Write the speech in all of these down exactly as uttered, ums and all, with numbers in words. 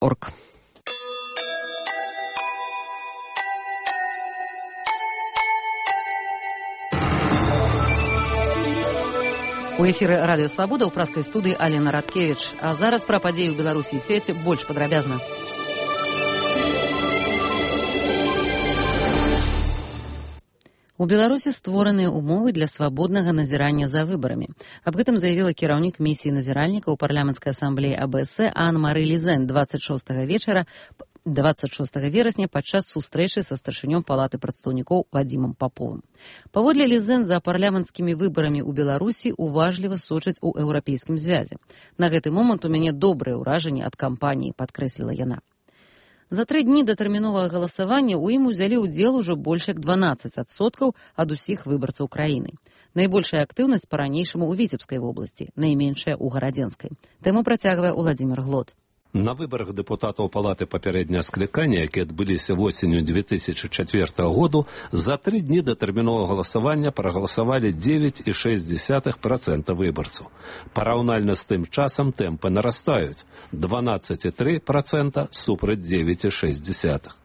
орг. У эфіры радыё Свабода ў праскай студыі Алена Радкевіч. А зараз пра падзеі ў Беларусі і свеце больш падрабязна. У Беларусі створаныя ўмовы для свабоднага назірання за выбарамі. Аб гэтым заявіла кіраўнік місіі назіральніка ў парламенцкай асамблеі А Бэ Эс Анна-Мары Лізен дваццаць шостага вечара дваццаць шостага верасня падчас сустрэчы са старшынём палаты прадстаўнікоў Вадзімам Паповым. Паводле Лізен, за парламенцкімі выбарамі ў Беларусі уважліва сочаць у еўрапейскім звязе. На гэты момант у мяне добрае ўражанне ад кампаніі, падкрэсліла яна. За тры дні датэрміновага галасавання ў ім узялі ўдзел ужо больш як дванаццаць адсоткаў ад усіх выбарцаў краіны. Найбольшая актыўнасць па-ранейшаму ў Віцебскай вобласці, найменшая ў Гарадзенскай. Тэму працягвае Уладзімір Глод. На выбарах дэпутатаў палаты папярэдняга склікання, якія адбыліся восенню две тысячи четвёртого году, за тры дні датэрміновага галасавання прагаласавалі дзевяць і шэсць дзесятых працэнта выбарцаў. Параўнальна з тым часам тэмпы нарастаюць – дванаццаць і тры працэнта супраць дзевяць і шэсць дзесятых.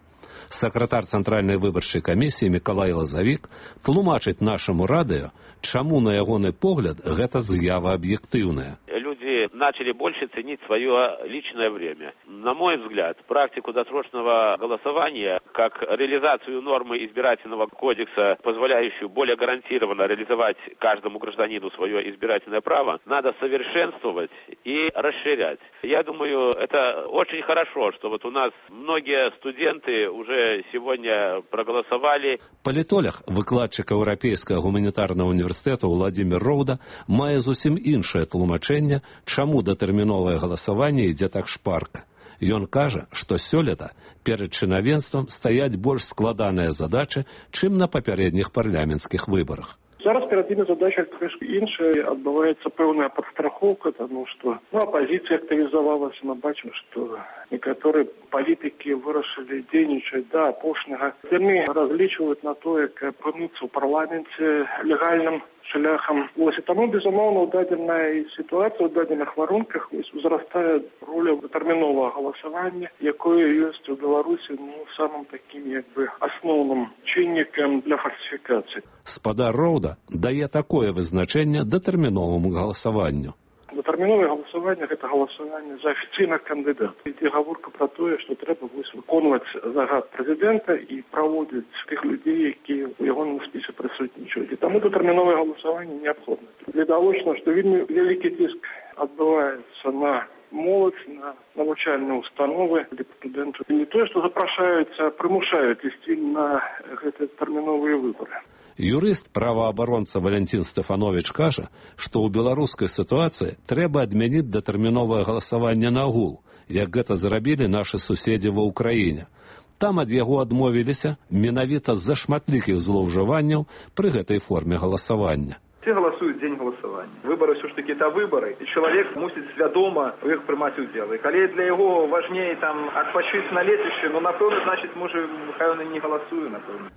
Сакратар Цэнтральнай выбарчай камісіі Мікалай Лазавік тлумачыць нашаму радыё, чаму, на ягоны погляд, гэта з'ява аб'ектыўная. Люди начали больше ценить свое личное время. На мой взгляд, практику досрочного голосования, как реализацию нормы избирательного кодекса, позволяющую более гарантированно реализовать каждому гражданину свое избирательное право, надо совершенствовать и расширять. Я думаю, это очень хорошо, что вот у нас многие студенты уже сегодня проголосовали. Палітолог, выкладчик Еўрапейскага гуманітарнага універсітэту Владимир Роуда мае зусім іншае тлумачэнне, чаму датэрміновае галасаванне ідзе так шпарка. Ён кажа, што сёлета перад чынавенствам стаяць больш складаныя задачы, чым на папярэдніх парламенцкіх выбарах. Зараз перед імі задача трошки іншая, адбываецца пэўная падстрахоўка, тому што ну, апозіцыя актывізавалася, мы бачым, што некаторыя палітыкі вырашылі дзейнічаць да апошняга. Яны разлічваюць на тое, каб апынуцца ў парламенце легальным шляхам. Ось, і таму, безумоўна, у дадзенай сітуацыі, у дадзеных варунках узрастае роля датэрміновага галасавання, якое ёсць у Беларусі ну, самым такім як бы асноўным чыннікам для фальсіфікацыі. Спадар Роуда дае такое вызначэнне датэрміноваму галасаванню. Датэрміновае галасаванне – гэта галасаванне за афіцыйных кандыдатаў. Ідзе гаворка пра тое, што трэба выконваць загад прэзідэнта і праводзіць тых людзей, якія ў ягоным спісе прысутнічаюць. І таму датэрміновае галасаванне неабходна. Відавочна, што вельмі вялікі ціск адбываецца на моладзь, на навучальныя установы для студэнтаў. І не тое, што запрашаюць, а прымушаюць ісці на гэтыя тэрміновыя выбары. Юрыст, праваабаронца Валянцін Стэфановіч кажа, што ў беларускай сітуацыі трэба адмяніць датэрміновае галасаванне нагул, як гэта зрабілі нашы суседзі ва ўкраіне. Там ад яго адмовіліся менавіта з-за шматлікіх злоўжыванняў пры гэтай форме галасавання. Все голосуют в день голосования. Выборы все-таки это выборы, и человек мусит свядома в их прымаць удзел. И коли для его важнее там отпочить на летище, ну, напэўна, значит, может, хай он и не голосует, напэўна.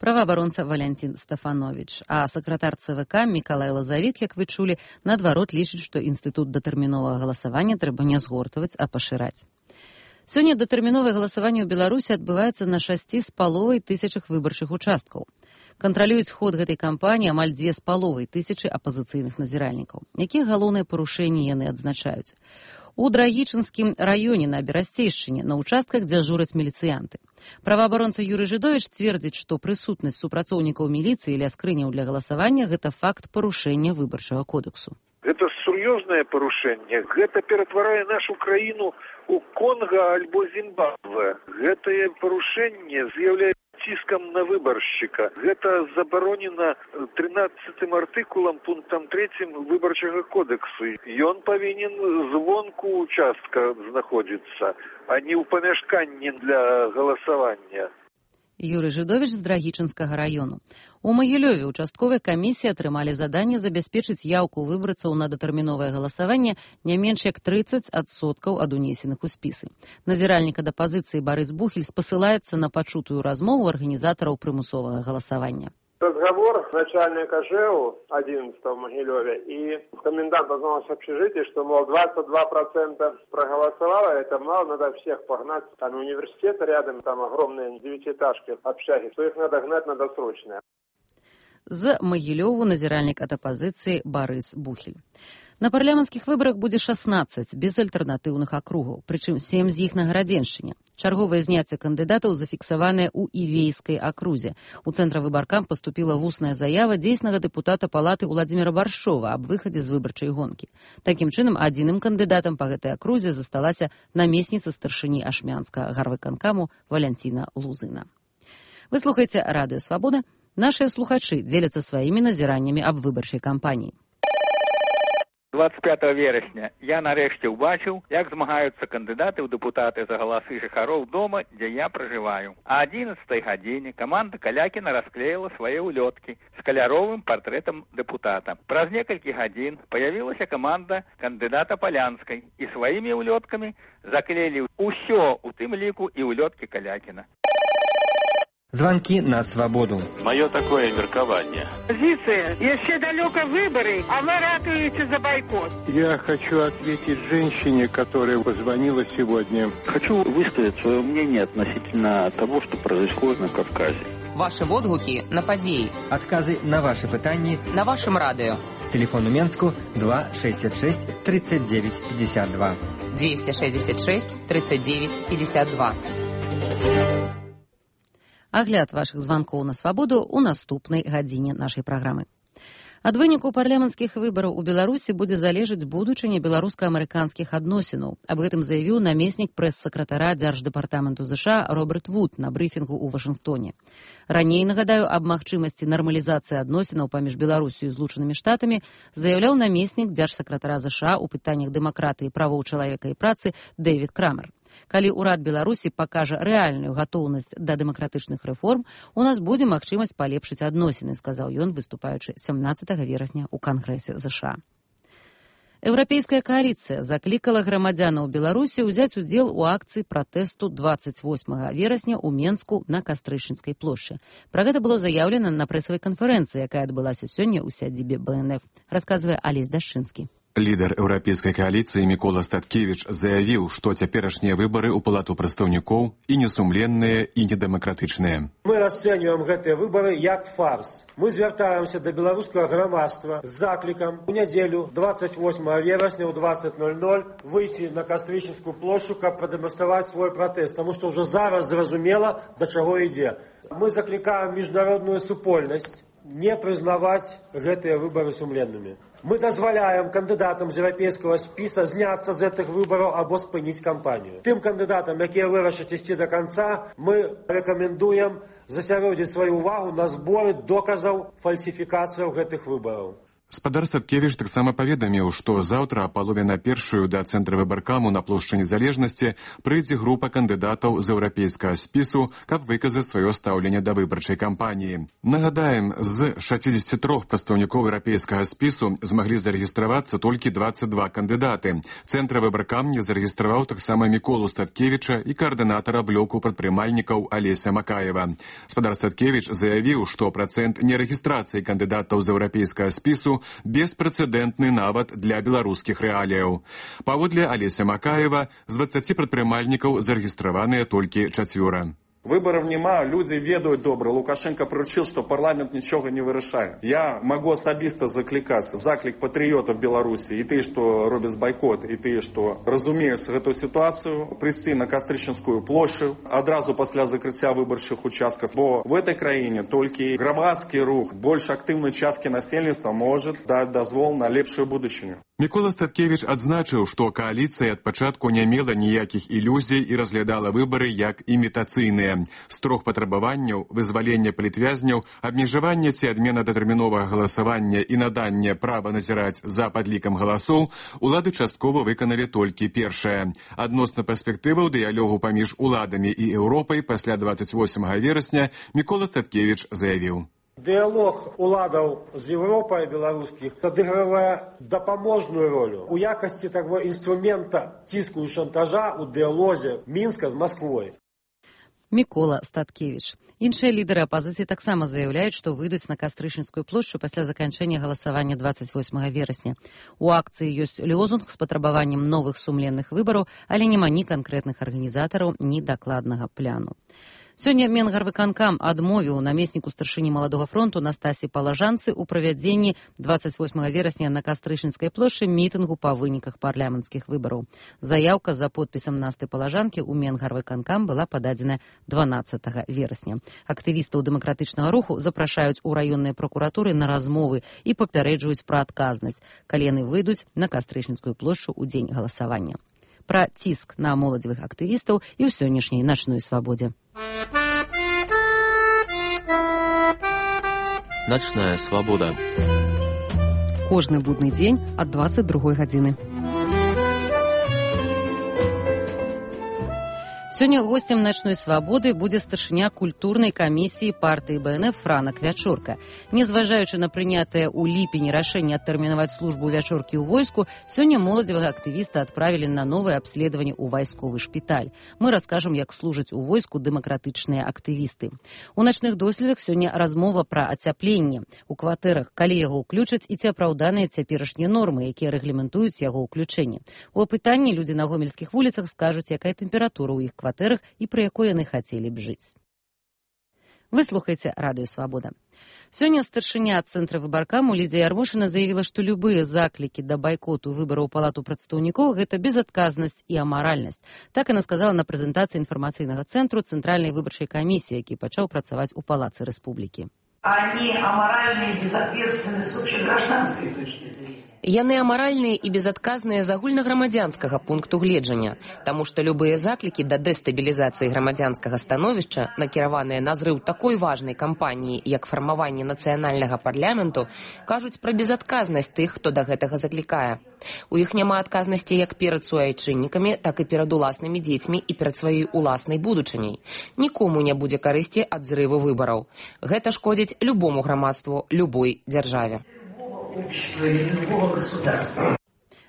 Праваабаронца Валянцін Стэфановіч, а сакратар Цэ Вэ Ка Мікалай Лазавік, як вы чулі, наадварот лічыць, што інстытут датэрміновага галасавання трэба не згортваць, а пашыраць. Сёння датэрміновае галасаванне ў Беларусі адбываецца на шасці з паловай тысячах выбарчых участкаў. Кантралююць ход гэтай кампаніі амаль дзве з паловай тысячы апазіцыйных назіральнікаў. Якія галоўныя парушэнні яны адзначаюць? У Драгічынскім раёне на Берасцейшчыне на участках дзяжураць міліцыянты. Праваабаронца Юрый Жидович цвердзіць, што прысутнасць супрацоўнікаў міліцыі ля скрыняў для галасавання – гэта факт парушэння выбарчага кодексу. Гэта сур'ёзнае парушэнне. Гэта ператварае нашу краіну ў Конга альбо Зімбабве. Гэтае парушэнне з'яўляецца ціскам на выбаршчыка. Гэта забаронена трынаццатым артыкулам пунктам трэцім выбарчага кодексу. Ён павінен звонку участка знаходзіцца, а не ў памяшканні для галасавання. Юрый Жидович з Драгічынскага раёну. У Магілёве участковыя камісіі атрымалі заданне забяспечыць яўку выбарцаў на датэрміновае галасаванне не менш як трыццаць адсоткаў ад унесеных у спісы. Назіральнік ад апазіцыі Барыс Бухель спасылаецца на пачутую размову арганізатараў прымусовага галасавання. Разговор начальника ЖЭУ одиннадцатого в Могилеве и комендант ознался в общежитии, что, мол, двадцать два процента проголосовало, это мало, надо всех погнать. Там университет рядом, там огромные девятиэтажки, общаги, что их надо гнать, надо срочно. З Магілёву назіральнік ад апазіцыі Барыс Бухель. На парламенцкіх выбарах будзе шаснаццаць безальтэрнатыўных акругаў, прычым сем з іх на Гарадзеншчыне. Чарговае зняцце кандыдатаў зафіксаванае ў Івейскай акрузе. У цэнтра выбаркам паступіла вусная заява дзейснага дэпутата палаты Уладзіміра Баршова аб выхадзе з выбарчай гонкі. Такім чынам, адзіным кандыдатам па гэтай акрузе засталася намесніца старшыні ашмянскага гарвыканкаму Валянціна Лузына. Вы слухаеце Радыё Свабода. Нашыя слухачы дзеляцца сваімі назіраннямі аб выбарчай кампаніі. двадцать пятого верасня я нарэшце ўбачыў, як змагаюцца кандыдаты ў дэпутаты за галасы жыхароў дома, дзе я пражываю. А адзінаццатай гадзіне каманда Калякіна расклеіла свае ўлёткі з каляровым партрэтам дэпутата. Праз некалькі гадзін паявілася каманда кандыдата Палянскай і сваімі ўлёткамі заклеілі ўсё, у тым ліку і ўлёткі Калякіна. Звонки на свободу. Мое такое меркование. Позиция. Еще далеко выборы, а вы ратуете за бойкот. Я хочу ответить женщине, которая позвонила сегодня. Хочу высказать свое мнение относительно того, что происходит на Кавказе. Ваши водгуки на подеи. Отказы на ваши пытания. На вашем радио. Телефон у Менску два шестьдесят шесть тридцать девять пятьдесят два. двести шестьдесят шесть тридцать девять пятьдесят два. Агляд вашых званкоў на свабоду ў наступнай гадзіне нашай праграмы. Ад выніку парламенцкіх выбараў у Беларусі будзе залежаць будучыня беларуска-амерыканскіх адносінаў. Аб гэтым заявіў намеснік прэс-сакратара дзярждэпартаменту ЗША Роберт Вуд на брыфінгу ў Вашынгтоне. Раней, нагадаю, аб магчымасці нармалізацыі адносінаў паміж Беларусю і Злучанымі Штатамі заяўляў намеснік дзяржсакратара ЗША ў пытаннях дэмакратыі, правоў чалавека і працы Дэвід Крамер. Калі ўрад Беларусі пакажа рэальную гатоўнасць да дэмакратычных рэформ, у нас будзе магчымасць палепшыць адносіны, сказаў ён, выступаючы сямнаццатага верасня ў Кангрэсе ЗША. Еўрапейская кааліцыя заклікала грамадзянаў Беларусі ўзяць удзел у акцыі пратэсту двадцать восьмага верасня ў Менску на Кастрычніцкай плошчы. Пра гэта было заяўлена на прэсавай канферэнцыі, якая адбылася сёння ў сядзібе Бэ Эн Эф, расказвае Алесь Дашчынскі. Лідар еўрапейскай кааліцыі Мікола Статкевіч заявіў, што цяперашнія выбары ў палату прадстаўнікоў і несумленныя, і недэмакратычныя. Мы расцэньваем гэтыя выбары як фарс. Мы звяртаемся да беларускага грамадства з заклікам у нядзелю двадцать восьмага верасня ў двадцать ноль ноль выйсці на Кастрычніцкую плошчу, каб прадэманстраваць свой пратэст, таму што ўжо зараз зразумела, да чаго ідзе. Мы заклікаем міжнародную супольнасць не прызнаваць гэтыя выбары сумленнымі. Мы дазваляем кандыдатам з еўрапейскага спіса зняцца з гэтых выбараў або спыніць кампанію. Тым кандыдатам, якія вырашаць ісці да канца, мы рэкамендуем засяродзіць сваю ўвагу на зборы доказаў фальсіфікацыяў гэтых выбараў. Спадар Садкевіч таксама паведаміў, што заўтра а палове на першую да цэнтра выбаркаму на плошчы Незалежнасці прыйдзе група кандыдатаў з еўрапейскага спісу, каб выказаць сваё стаўленне да выбарчай кампаніі. Нагадаем, з шэсцідзесяці трох прадстаўнікоў еўрапейскага спісу змаглі зарэгістравацца толькі двадцать два кандыдаты. Цэнтр выбаркам не зарэгістраваў таксама Міколу Статкевіча і каардынатара блоку прадпрымальнікаў Алеся Макаева. Спадар Статкевіч заявіў, што працэнт нерэгістрацыі кандыдатаў з еўрапейскага спісу беспрэцэдэнтны нават для беларускіх рэаліяў. Паводле Алеся Макаева, з дваццаці прадпрымальнікаў зарэгістраваныя толькі чацвёра. Выборов нема, люди ведают добро. Лукашенко поручил, что парламент ничего не вырашает. Я могу особисто закликаться, заклик патриотов Беларуси, и ты, что робят бойкот, и ты, что разумеют эту ситуацию, прийти на Кастрычніцкую площадь, одразу после закрытия выборчих участков. Бо в этой краине только громадский рух, больше активной частки населения может дать дозвол на лепшую будущее. Мікола Статкевіч адзначыў, што кааліцыя ад пачатку не мела ніякіх ілюзій і разглядала выбары як імітацыйныя. З трох патрабаванняў, вызвалення палітвязняў, абмежавання ці адмена датэрміновага галасавання і надання права назіраць за падлікам галасоў, улады часткова выканалі толькі першае. Адносна перспектываў дыялогу паміж уладамі і Еўропай пасля двадцать восьмага верасня Мікола Статкевіч заявіў. Дыялог уладаў з Еўропай беларускіх адыгрывае дапаможную ролю у якасці таго інструмента ціску і шантажа ў дыялозе Мінска з Масквой. Мікола Статкевіч. Іншыя лідары апазіцыі таксама заяўляюць, што выйдуць на Кастрычніцкую плошчу пасля заканчэння галасавання двадцать восьмага верасня. У акцыі ёсць лозунг з патрабаваннем новых сумленных выбараў, але няма ні канкрэтных арганізатараў, ні дакладнага пляну. Сёння Менгарвыканкам адмовіў намесніку старшыні Маладога фронту Настасі Палажанцы ў правядзенні двадцать восьмага верасня на Кастрычніцкай плошчы мітынгу па выніках парламенцкіх выбараў. Заяўка за подпісам Насты Палажанкі ў Менгарвыканкам была пададзена дванаццатага верасня. Актывістаў дэмакратычнага руху запрашаюць у раённыя пракуратуры на размовы і папярэджваюць пра адказнасць, калі яны выйдуць на Кастрычніцкую плошчу ў дзень галасавання. Пра ціск на моладзевых актывістаў і ў сённяшняй начной свабодзе. Начная свабода. Кожны будны дзень ад двадцать другой гадзіны. Сёння госцем начной свабоды будзе старшыня культурнай камісіі партыі бэ эн эф Франак Вячорка. Незважаючы на прынятае ў ліпені рашэнне адтэрмінаваць службу Вячоркі ў войску, сёння моладзевага актывіста адправілі на новае абследаванне ў вайсковы шпіталь. Мы раскажам, як служаць у войску дэмакратычныя актывісты. У начных доследах сёння размова пра ацяпленне у кватэрах, калі яго ўключаць і ці апраўданыя цяперашнія нормы, якія рэгламентуюць яго ўключэнне. У апытанні людзі на гомельскіх вуліцах скажуць, якая тэмпература ў іх кватэрах і пра якой яны хацелі б жыць. Вы слухаеце Радыё Свабода. Сёння старшыня цэнтра выбаркаму Лідзія Ярмошына заявіла, што любыя заклікі да байкоту выбараў у палату прадстаўнікоў – гэта безадказнасць і амаральнасць. Так яна сказала на прэзентацыі інфармацыйнага цэнтру Цэнтральнай выбарчай камісіі, які пачаў працаваць у Палацы Рэспублікі. Они аморальны и безответственны с общегражданской точки зрения. Яны амаральныя і безадказныя з агульнаграмадзянскага пункту гледжання, таму што любыя заклікі да дэстабілізацыі грамадзянскага становішча, накіраваныя на зрыў такой важнай кампаніі, як фармаванне нацыянальнага парламенту, кажуць пра безадказнасць тых, хто да гэтага заклікае. У іх няма адказнасці як перад суайчыннікамі, так і перад уласнымі дзецьмі і перад сваёй уласнай будучыняй. Нікому не будзе карысці ад зрыву выбараў. Гэта шкодзіць любому грамадству, любой дзяржаве.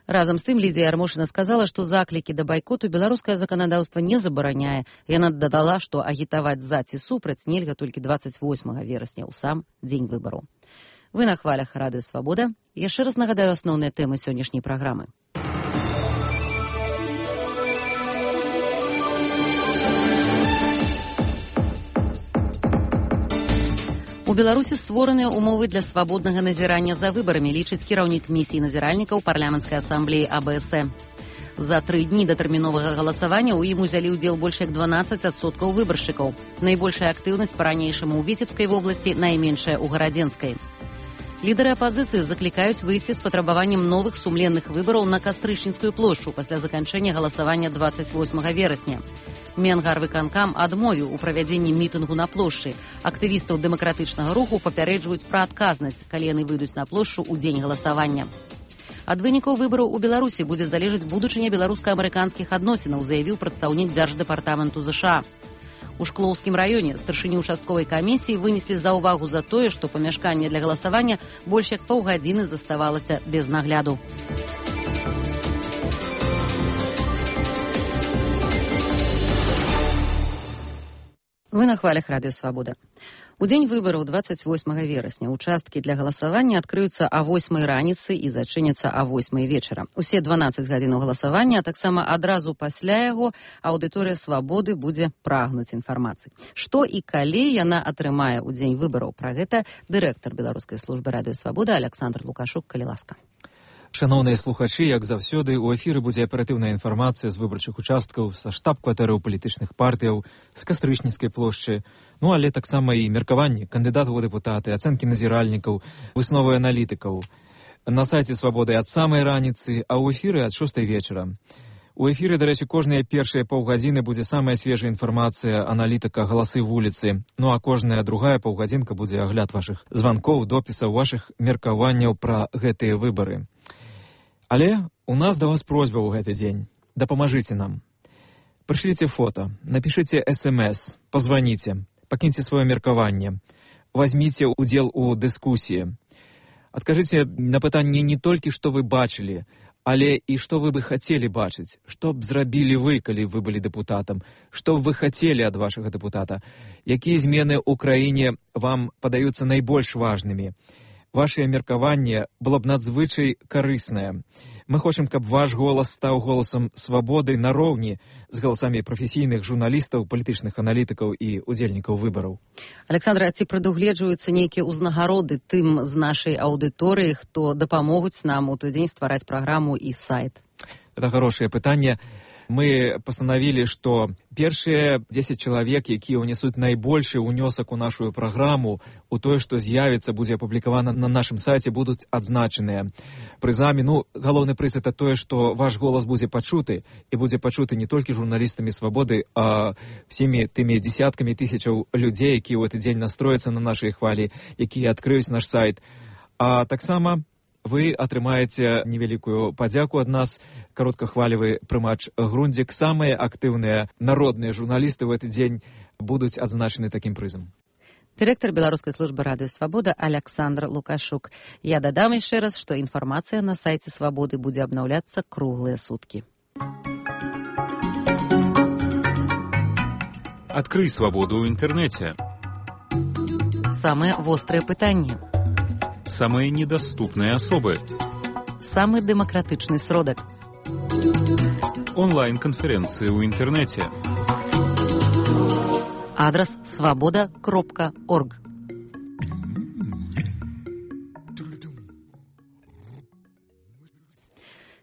Разам з тым Лідзія Ярмошына сказала, што заклікі да байкоту беларускае заканадаўства не забараняе. Яна дадала, што агітаваць за ці супраць нельга толькі двадцать восьмага верасня ў сам дзень выбараў. Вы на хвалях Радыё Свабода. Яшчэ раз нагадаю асноўныя тэмы сённяшняй праграмы. У Беларусі створаныя ўмовы для свабоднага назірання за выбарамі, лічыць кіраўнік місіі назіральнікаў парламенцкай асамблеі а бэ эс э. За тры дні да тэрміновага галасавання ў ім узялі ўдзел больш як дванаццаць адсоткаў выбаршчыкаў. Найбольшая актыўнасць па-ранейшаму ў Віцебскай вобласці, найменшая ў Гарадзенскай. Лідары апазіцыі заклікаюць выйсці з патрабаваннем новых сумленных выбараў на Кастрычніцкую плошчу пасля заканчэння галасавання двадцать восьмага верасня. Менгарвыканкам адмовіў у правядзенні мітынгу на плошчы. Актывістаў дэмакратычнага руху папярэджваюць пра адказнасць, калі яны выйдуць на плошчу ў дзень галасавання. Ад вынікаў выбараў у Беларусі будзе залежаць будучыня беларуска-амерыканскіх адносінаў, заявіў прадстаўнік дзярждэпартаменту ЗША. У Шклоўскім раёне старшыню участковай камісіі вынеслі заўвагу за тое, што памяшканне для галасавання больш як паўгадзіны заставалася без нагляду. Вы на хвалях Радыё Свабода. У дзень выбараў двадцать восьмага верасня участкі для галасавання адкрыюцца а восьмай раніцы і зачыняцца а восьмай вечара. Усе дванаццаць гадзінаў галасавання, а таксама адразу пасля яго аўдыторыя Свабоды будзе прагнуць інфармацыі. Што і калі яна атрымае ў дзень выбараў? Пра гэта дырэктар беларускай службы Радыё Свабода Аляксандр Лукашук, калі ласка. Шановныя слухачы, як заўсёды, у эфіры будзе аператыўная інфармацыя з выбарчых участкаў, са штаб-кватэраў палітычных партыяў, з Кастрычніцкай плошчы, ну але таксама і меркаванні кандыдатаў у дэпутаты, ацэнкі назіральнікаў, высновы аналітыкаў. На сайце Свабоды ад самай раніцы, а ў эфіры ад шостай вечара. У эфіры, дарэчы, кожныя першыя паўгадзіны будзе самая свежая інфармацыя аналітыка «Галасы вуліцы», ну а кожная другая паўгадзінка будзе агляд вашых званкоў, допісаў, вашых меркаванняў пра гэтыя выбары. Але у нас да вас просьба ў гэты дзень. Дапамажыце нам. Прышліце фота, напішыце эс эм эс, пазваніце, пакіньце сваё меркаванне, вазьміце ўдзел у дыскусіі. Адкажыце на пытанне не толькі, што вы бачылі, Але і што вы бы хацелі бачыць? Што б зрабілі вы, калі вы былі дэпутатам? Што б вы хацелі ад вашага дэпутата? Якія змены ў краіне вам падаюцца найбольш важнымі? Вашае меркаванне было б надзвычай карыснае. Мы хочам, каб ваш голас стаў голасам свабоды нароўні з галасамі прафесійных журналістаў, палітычных аналітыкаў і удзельнікаў выбараў. Александра, ці прадугледжваюцца нейкія ўзнагароды тым з нашай аўдыторыі, хто дапамогуць нам у той дзень ствараць праграму і сайт? Это хорошее пытанне. Мы пастанавілі, што першыя дзесяць чалавек, якія ўнесуць найбольшы ўнёсак у нашу праграму, у тое, што з'явіцца, будзе апублікавана на нашым сайце, будуць адзначаныя прызамі. Ну, галоўны прыз это тое, што ваш голас будзе пачуты, і будзе пачуты не толькі журналістамі свабоды, а всімі тымі дзесяткамі тысячаў людзей, якія ў гэты дзень настрояцца на нашай хвалі, якія адкрыюць наш сайт. А таксама вы атрымаеце невялікую падзяку ад нас, кароткахвалевы прымач Грундзік. Самыя актыўныя народныя журналісты ў гэты дзень будуць адзначаны такім прызам. Дырэктар беларускай службы радыё Свабода Александр Лукашук. Я дадам яшчэ раз, што інфармацыя на сайце Свабоды будзе абнаўляцца круглыя суткі. Адкрый свабоду ў інтэрнэце. Самыя вострыя пытанні. Самые недоступные особы. Самый демократичный сродок. Онлайн-конференции в интернете. Адрес свобода кропка орг.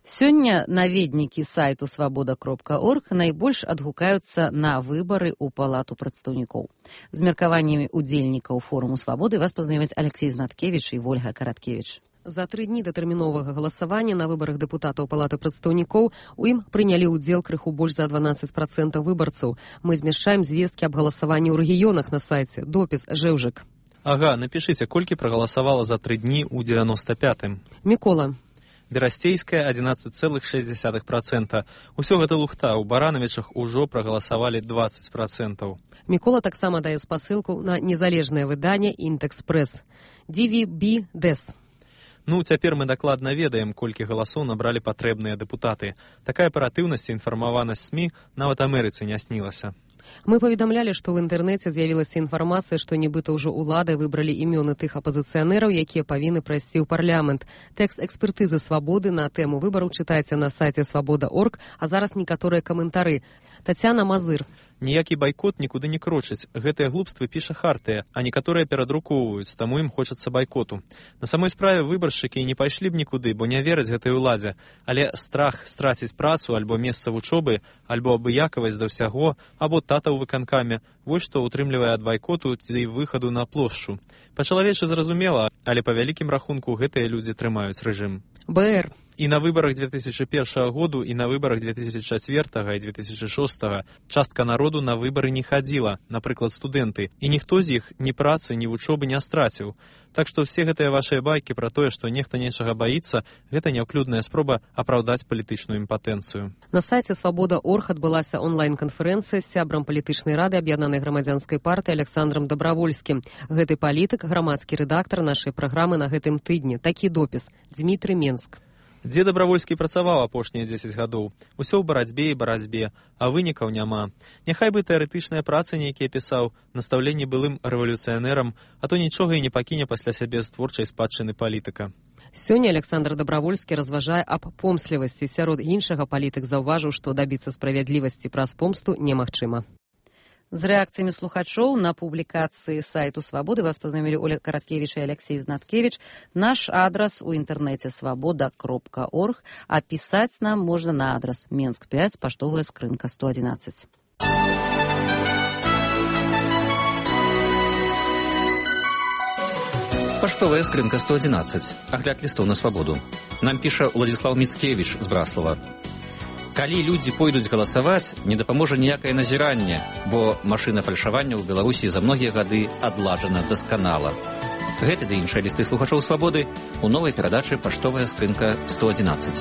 Сёння наведнікі сайту свобода кропка орг найбольш адгукаюцца на выбары ў палату прадстаўнікоў. З меркаваннямі удзельнікаў форуму свабоды вас пазнаёмяць Алексей Знаткевіч і Вольга Караткевіч. За тры дні датэрміновага галасавання на выбарах дэпутатаў палаты прадстаўнікоў у ім прынялі ўдзел крыху больш за дванаццаць працэнтаў выбарцаў. Мы змяшчаем звесткі аб галасаванні ў рэгіёнах на сайце. Допіс Жэўжык. Ага, напішыце, колькі прагаласавала за тры дні ў девяносто пятым. Мікола. Берасцейская одиннадцать целых шесть десятых процента. Усё гэта лухта, у Баранавічах ужо прагаласавалі двадцать процентаў. Мікола таксама дае спасылку на незалежнае выданне «Інтэкс-прэс». ди ви би дэс. Ну, цяпер мы дакладна ведаем, колькі галасоў набралі патрэбныя дэпутаты. Такая аператыўнасць і інфармаванасць СМІ нават Амерыцы не снілася. Мы паведамлялі, што ў інтэрнэце з'явілася інфармацыя, што нібыта ўжо ўлады выбралі імёны тых апазіцыянераў, якія павінны прайсці ў парламент. Тэкст экспертызы свабоды на тэму выбараў чытайце на сайце свабода кропка орг, а зараз некаторыя каментары. Тацяна Мазыр. Ніякі байкот нікуды не крочыць. Гэтыя глупствы піша Хартыя, а некаторыя перадрукоўваюць, таму ім хочацца байкоту. На самой справе выбаршчыкі не пайшлі б нікуды, бо не вераць гэтай уладзе. Але страх страціць працу альбо месца вучобы, альбо абыякавасць да ўсяго, або тата ў выканкаме, вось што утрымлівае ад байкоту ці выхаду на плошчу. Па-чалавечы зразумела, але па вялікім рахунку гэтыя людзі трымаюць рэжым. БР. І на выбарах две тысячи першага году, і на выбарах две тысячи чацвёртага і две тысячи шостага частка народу на выбары не хадзіла, напрыклад, студэнты, і ніхто з іх ні працы, ні вучобы не страціў. Так што все гэтыя вашыя байкі пра тое, што нехта нечага баіцца, гэта няўклюдная спроба апраўдаць палітычную імпатэнцыю. На сайце свабода кропка орг адбылася онлайн-канферэнцыя з сябрам палітычнай рады аб'яднанай грамадзянскай партыі Александром Добравольскім. Гэты палітык, грамадскі рэдактар нашай праграмы на гэтым тыдні. Такі допіс. Дмітрый Менск. Дзе Добравольскі працаваў апошнія дзесяць гадоў. Усё ў барацьбе і барацьбе, а вынікаў няма. Няхай бы тэарэтычныя працы нейкія пісаў, настаўленні былым рэвалюцыянерам, а то нічога і не пакіне пасля сябе з творчай спадчыны палітыка. Сёння Александр Добравольскі разважае аб помслівасці. Сярод іншага палітык заўважыў, што дабіцца справядлівасці праз помсту немагчыма. З рэакцыямі слухачоў на публікацыі сайту Свабоды вас пазнаёмілі Оля Караткевіч і Алексей Знаткевіч. Наш адрас у інтэрнэце свабода кропка орг, а пісаць нам можна на адрас Менск пять, паштовая скрынка сто одиннадцать. Паштовая скрынка сто одиннадцать. Агляд лістоў на свабоду. Нам піша Владислав Міцкевіч з Браслава. Калі людзі пойдуць галасаваць, не дапаможа ніякае назіранне, бо машына фальшавання ў Беларусі за многія гады адладжана дасканала. Гэты ды іншыя лісты слухачоў свабоды у новай перадачы «Паштовая скрынка сто одиннадцать».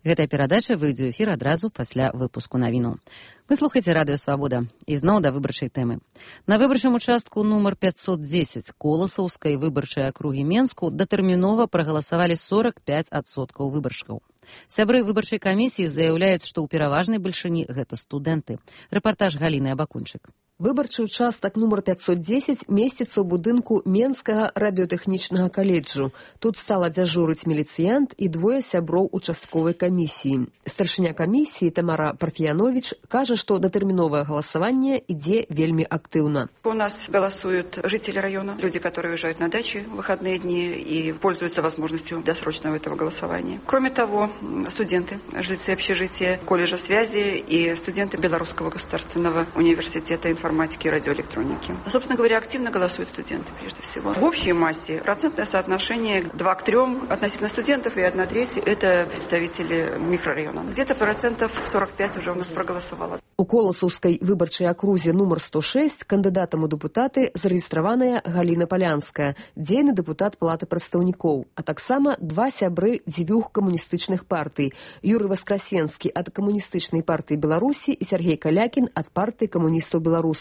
Гэтая перадача выйдзе ў эфір адразу пасля выпуску навіну. Вы слухаеце радыё Свабода. Ізноў да выбарчай тэмы. На выбарчым участку нумар пятьсот десять Коласаўскай выбарчай акругі Менску датэрмінова прагаласавалі сорок пять адсоткаў выбаршчыкаў. Сябры выбарчай камісіі заяўляюць, што ў пераважнай бальшыні гэта студэнты. Рэпартаж Галіны Абакунчык. Выбарчы участак нумар пятьсот десять месціцца ў будынку Менскага радыётэхнічнага каледжу. Тут стала дзяжурыць міліцыянт і двое сяброў участковай камісіі. Старшыня камісіі Тамара Парфянович кажа, што датэрміновае галасаванне ідзе вельмі актыўна. У нас голосуют жители района, люди, которые уезжают на дачи в выходные дни и пользуются возможностью досрочного этого голосования. Кроме того, студенты, жильцы общежития, колледжа связи и студенты Белорусского государственного университета информации информатики и радиоэлектроники. Собственно говоря, активно голосуют студенты прежде всего. В общей массе процентное соотношение два к трем относительно студентов и одна треть это представители микрорайона. Где-то процентов сорок пять уже у нас проголосовало. У Коласаўскай выбарчай акрузе нумар сто шесть кандыдатам у дэпутаты зарэгістраваная Галіна Палянская, дзейны дэпутат Палаты прадстаўнікоў, а таксама два сябры дзвюх камуністычных партый: Юрый Васкрасенскі ад камуністычнай партыі Беларусі і Сергей Калякін ад партыі камуністаў Беларусі.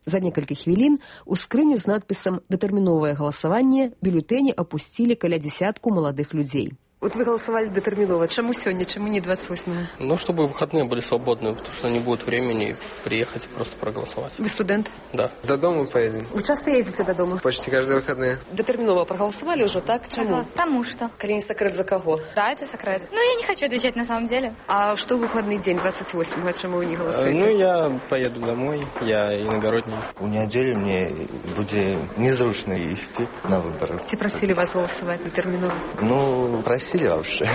За некалькі хвілін у скрыню з надпісам «Датэрміновае галасаванне» бюлетэні апусцілі каля дзесятку маладых людзей. Вот вы голосовали детерминованно. Чему сегодня, чему не двадцать восьмое? Ну, чтобы выходные были свободные, потому что не будет времени приехать и просто проголосовать. Вы студент? Да. До дома поедем. Вы часто ездите до дома? Почти каждые выходные. Детерминово проголосовали уже, так? Чему? Ага, потому что. Коли не секрет, за кого? Да, это секрет. Ну, я не хочу отвечать на самом деле. А что в выходный день, двадцать восьмого, чему вы не голосуете? Ну, я поеду домой, я иногородний. У неделю мне будет незручно идти на выборы. Те просили вас голосовать детерминово? Ну, просили вообще.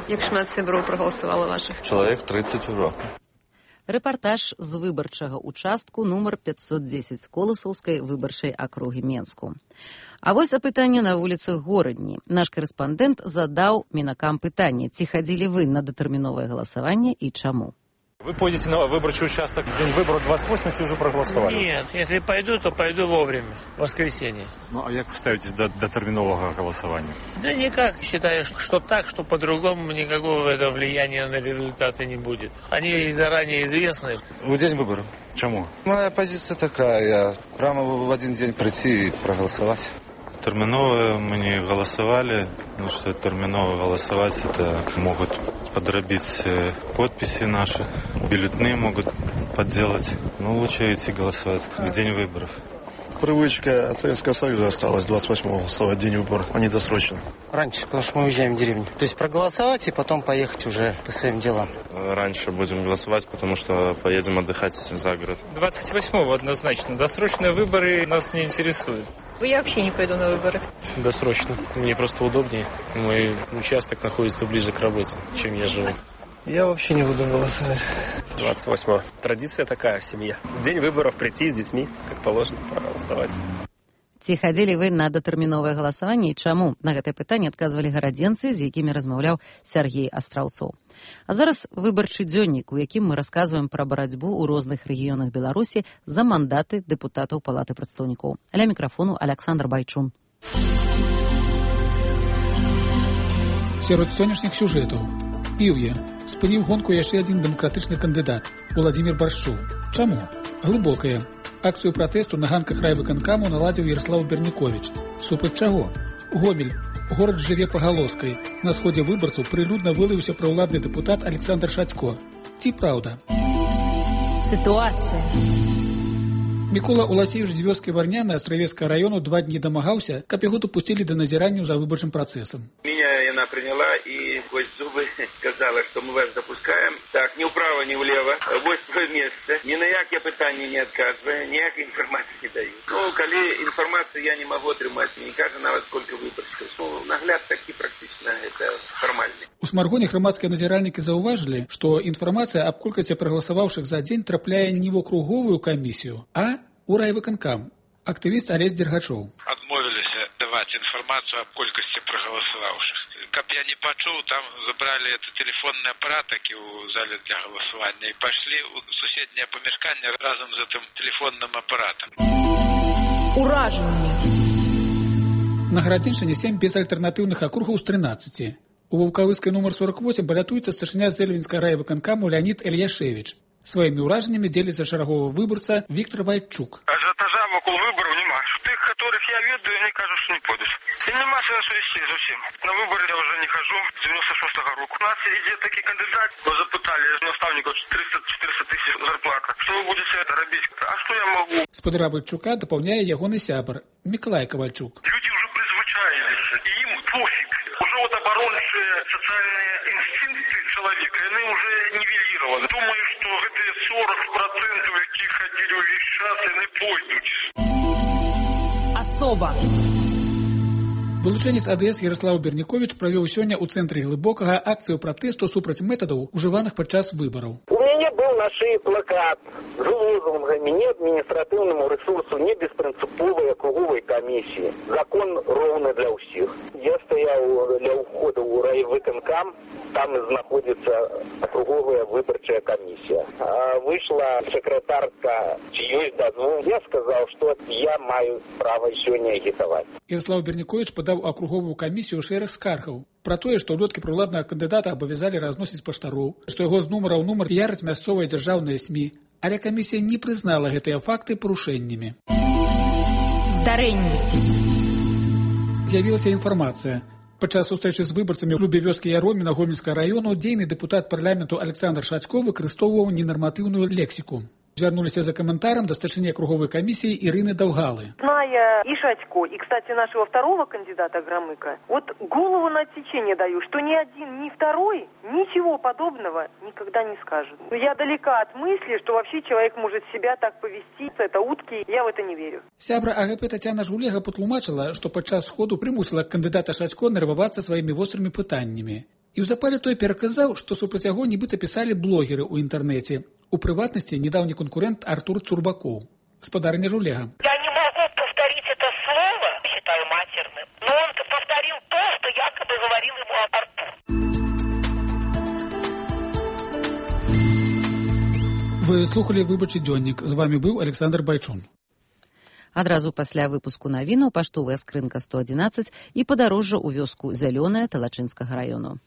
Як шмат сяброў прагаласавала вашых? Чалавек тридцать ужо. Рэпартаж з выбарчага участку нумар пятьсот десять Коласаўскай выбарчай акругі Менску. А вось апытанне на вуліцах горадні. Наш корэспандэнт задаў мінакам пытанне: ці хадзілі вы на датэрміновае галасаванне і чаму? Вы пойдете на выборчий участок в день выборов двадцать восьмого, уже проголосовали? Нет, если пойду, то пойду вовремя, в воскресенье. Ну, а как вы ставитесь до, до терминового голосования? Да никак, считаю, что так, что по-другому никакого этого влияния на результаты не будет. Они заранее известны. В день выборов. Чему? Моя позиция такая, я прямо в один день прийти и проголосовать. Терминово мы не голосовали, потому что терминово голосовать это могут подробить подписи наши, бюллетени могут подделать. Ну, лучше идти голосовать в день выборов. Привычка от Советского Союза осталась двадцать восьмого голосовать день выборов, а не досрочно. Раньше, потому что мы уезжаем в деревню. То есть проголосовать и потом поехать уже по своим делам. Раньше будем голосовать, потому что поедем отдыхать за город. двадцать восьмого однозначно. Досрочные выборы нас не интересуют. Я вообще не пойду на выборы. Досрочно. Мне просто удобнее. Мой участок находится ближе к работе, чем я живу. Я вообще не буду голосовать. двадцать восьмого. Традиция такая в семье. В день выборов прийти с детьми, как положено, проголосовать. Ці хадзілі вы на датэрміновае галасаванне і чаму? На гэтае пытанне адказвалі гарадзенцы, з якімі размаўляў Сергей Астраўцоў. А зараз выбарчы дзённік, у якім мы расказваем пра барацьбу ў розных рэгіёнах Беларусі за мандаты дэпутатаў Палаты прадстаўнікоў. Аля мікрафону Александр Байчун. Сярод сённяшніх сюжэтаў. Іўя. Спыніў гонку яшчэ адзін дэмакратычны кандыдат Уладзімір Баршчоў. Чаму? Глыбокая. Акцыю пратэсту на ганках райвыканкаму наладзіў Ярослаў Берніковіч. Супраць чаго? Гомель. Горад жыве пагалоскай. На сходзе выбарцаў прылюдна вылаяўся праўладны дэпутат Александр Шацько. Ці праўда? Ситуация. Мікола Уласевіч з вёскі Варняна Астравецкага району два дні дамагаўся, каб яго допусцілі да назіранняў за выбарчым працэсам. Меня она приняла и сквозь зубы сказала, что мы вас допускаем. Так, ни вправо, ни влево. Вот свое место. Ни на якие пытания не отказывая, никакой информации не даю. Ну, коли информацию я не могу отрымать, не кажется нават сколько выборщиков. Ну, нагляд таки практично это формальный. У Смаргоне грамадскія назіральнікі заўважылі, што інфармацыя аб колькасці прагаласаваўшых за дзень трапляе не ў акруговую камісію, а у райвыканкам. Актывіст Алесь Дергачоў. Адмовіліся даваць інфармацыю аб колькасці прагаласаваўшых. Каб я не пачуў, там забралі это телефонны апарат, які ў зале для галасавання, і пайшлі ў суседняе памяшканне разам з гэтым телефонным апаратам. Уражанне. На Гарадзеншчыне сем безальтэрнатыўных акругаў з трынаццаці. У Ваўкавыскай нумар сорок восемь балятуецца старшыня Зэльвінскага райвыканкаму Леонид Ильяшевич. Сваімі ўражаннямі дзеліцца шараговы выбарца Віктор Вайчук. Ажиотажа вокруг выборов нема. Тых, которых я ведаю, они кажут, что не пойдут. И нема сенсу вести зовсім. На выборы я уже не хожу с девяносто шестого року. У нас идет такие кандидаты, вы запытали наставников триста-четыреста тысяч зарплата. Что вы будете это робить? А что я могу? Спадара Вайчука дапаўняе ягоны сябар Миколай Ковальчук. Люди уже призвычаились, и им пофиг. Уже вот оборонные социальные инстинкты человека, они уже нивелированы. Думаю, что эти сорок процентов, яких ходили увесь час, они пойдут. Особо. Вылучэнец АДС Ярослав Берніковіч правёў сёння ў цэнтры Глыбокага акцыю пратэсту супраць метадаў, ужываных падчас выбараў. У мяне быў на шыі плакат з лозунгамі «Не адміністратыўнаму рэсурсу, не беспрынцыповай акруговай камісіі. Закон роўны для ўсіх». Я стаяў ля ўхода ў райвыканкам, там знаходзіцца акруговая выбарчая камісія. А выйшла сакратарка, ці ёсць дазвол. Я сказаў, што я маю права сёння агітаваць. Ярослав Берніковіч падаў акруговую камісію шэраг скаргаў пра тое, што ўлёткі праўладнага кандыдата абавязалі разносіць паштароў, што яго з нумара ў нумар піяраць мясцовыя дзяржаўныя СМІ, але камісія не прызнала гэтыя факты парушэннямі. Здарэнні. З'явілася інфармацыя. Падчас сустрэчы з выбарцамі ў клубе вёскі Яроміна Гомельскага району дзейны дэпутат парламенту Александр Шацько выкарыстоўваў ненарматыўную лексіку. Звярнуліся за комментарием до старшины округовой комиссии Ирины Довгалы. Зная и Шатько, и, кстати, нашего второго кандидата Громыка, вот голову на отсечение даю, что ни один, ни второй ничего подобного никогда не скажет. Я далека от мысли, что вообще человек может себя так повести, это утки, я в это не верю. Сябра АГП Татьяна Жулега патлумачыла, што падчас сходу прымусіла кандидата Шатько нервавацца сваімі вострымі пытаннямі. І ў запале той пераказаў, што супраць яго нібыта пісалі блогеры ў інтэрнэце. У прыватнасці недаўні конкурент Артур Цурбаков. Спадарня Жулега. Я не могу повторить это слово, считаю матерным, но он повторил то, что якобы говорил ему Артур. Вы слухали выбарчы дзённік. З вами быў Александр Байчун. Адразу пасля выпуску навінаў паштовая скрынка сто адзінаццаць і падарожжа ў вёску Зялёная Талачынскага раёну.